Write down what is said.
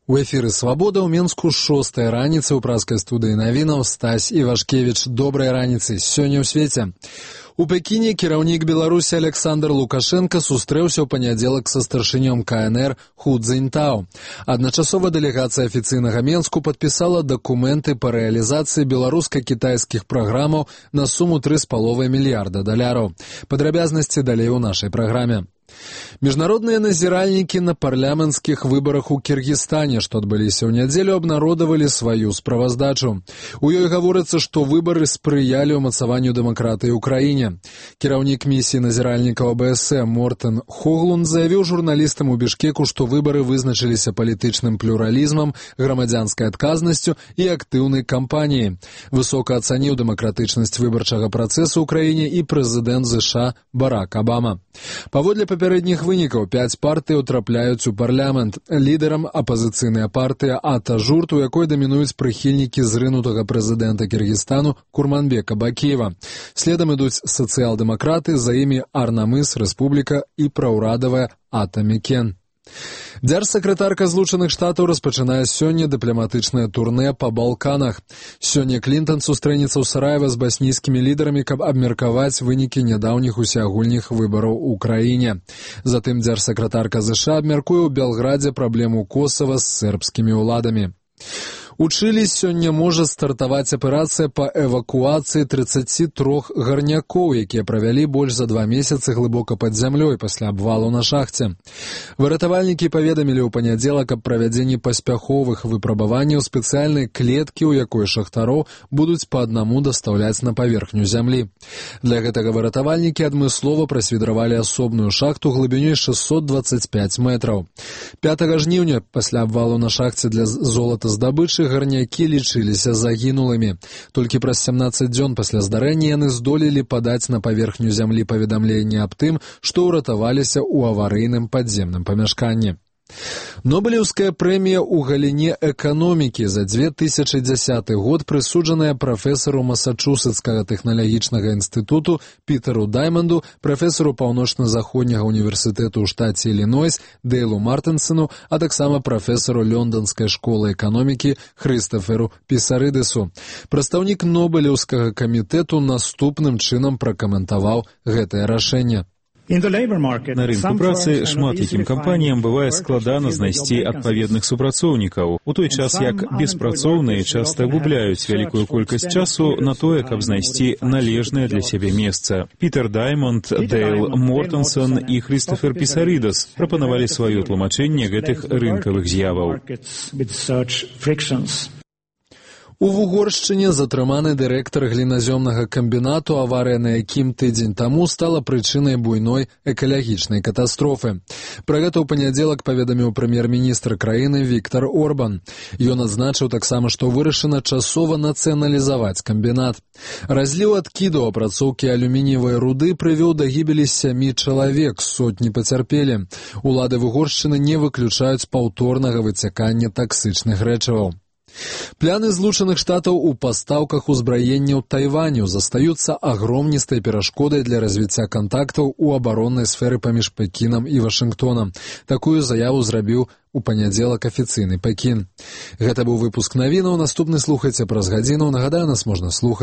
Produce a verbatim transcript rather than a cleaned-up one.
У эфіры «Свабода» ў Менску шостая раніца ў праскай студыі навінаў Стась Івашкевіч. Добрай раніцы. Сёння ў свеце. У Пекіне кіраўнік Беларусі Александр Лукашенко сустрэўся ў панядзелак са старшынём ка эн эр Ху Цзіньтао. Адначасова дэлегацыя афіцыйнага Менску падпісала дакументы па рэалізацыі беларуска-кітайскіх праграмаў на суму тры з паловай мільярда даляраў. Падрабязнасці далей у нашай праграме. Міжнародныя назіральнікі на парламенцкіх выбарах у Кіргізстане, што адбыліся ў нядзелю, абнародавалі сваю справаздачу. У ёй гаворыцца, што выбары спрыялі ўмацаванню дэмакратыі ў краіне. Кіраўнік місіі назіральнікаў а бэ эс э Мортен Хоглунд заявіў журналістам у Бішкеку, што выбары вызначыліся палітычным плюралізмам, грамадзянскай адказнасцю і актыўнай кампаніяй. Высока ацаніў дэмакратычнасць выбарчага працэсу ў краіне і прэзідэнт ЗША Барак Абама. Паводле папярэдніх вынікаў, пяць партый утрапляюць у парламент. Лідарам апазіцыйная партыя Ата-Журт, у якой дамінуюць прыхільнікі зрынутага прэзідэнта Кіргізстану Курманбека Бакиева. Следам ідуць сацыял-дэмакраты, за імі Арнамыс, Рэспубліка і праўрадавая Ата-Мекен. Дзяржсакратарка Злучаных Штатаў распачынае сёння дыпламатычнае турнэ па Балканах. Сёння Клінтан сустрэнецца ў Сараева з баснійскімі лідарамі, каб абмеркаваць вынікі нядаўніх усеагульных выбараў у краіне. Затым дзяржсакратарка ЗША абмяркуе ў Белградзе праблему Косава з сербскімі ўладамі. У Чылі сёння можа стартаваць аперацыя па эвакуацыі трыццаці трох гарнякоў, якія правялі больш за два месяцы глыбока пад зямлёй пасля абвалу на шахце. Выратавальнікі паведамілі ў панядзелак аб правядзенні паспяховых выпрабаванняў спецыяльнай клеткі, у якой шахтароў будуць па аднаму дастаўляць на паверхню зямлі. Для гэтага выратавальнікі адмыслова прасвідравалі асобную шахту глыбінёй шэсцьсот дваццаць пяць метраў. пятага жніўня пасля абвалу на шахце для золатаздабычы гарнякі лічыліся загінулымі. Толькі праз сямнаццаць дзён пасля здарэння яны здолелі падаць на паверхню зямлі паведамленне аб тым, што ўратаваліся ў аварыйным падземным памяшканні. Нобелеўская прэмія ў галіне эканомікі за дзве тысячы дзясяты год прысуджаная прафесару Масачусетскага тэхналагічнага інстытуту Пітеру Дайманду, прафесару паўночна-заходняга універсітэту ў штаце Ілінойс Дейлу Мартынсену, а таксама прафесару Лёнданскай школы эканомікі Хрыстаферу Пісарыдысу. Прадстаўнік Нобелеўскага камітэту наступным чынам пракаментаваў гэтае рашэнне. На рынку працы шмат якім кампаніям бывае складана знайсці адпаведных супрацоўнікаў, у той час як беспрацоўныя часта губляюць вялікую колькасць часу на тое, каб знайсці належнае для сябе месца. Пітер Даймонд, Дейл Мортенсон і Хрыстафер Пісарыдас прапанавалі сваё тлумачэнне гэтых рынкавых з'яваў. У Вугоршчыне затрыманы дырэктар гліназёмнага камбінату, аварыя на якім тыдзень таму стала прычынай буйной экалагічнай катастрофы. Пра гэта ў панядзелак паведаміў прэм'ер-міністр краіны Віктар Орбан. Ён адзначыў таксама, што вырашана часова нацыяналізаваць камбінат. Разліў адкіду апрацоўкі алюмініевай руды прывёў да гібелі сямі чалавек, сотні пацярпелі. Улады Вугоршчыны не выключаюць паўторнага выцякання таксычных рэчываў. Пляны Злучаных Штатаў у пастаўках узбраенняў Тайваню застаюцца агромністай перашкодай для развіцця кантактаў у абароннай сферы паміж Пекінам і Вашынгтонам. Такую заяву зрабіў у панядзелак афіцыйны Пекін. Гэта быў выпуск навінаў. Наступны слухайце праз гадзіну. Нагадаю, нас можна слухаць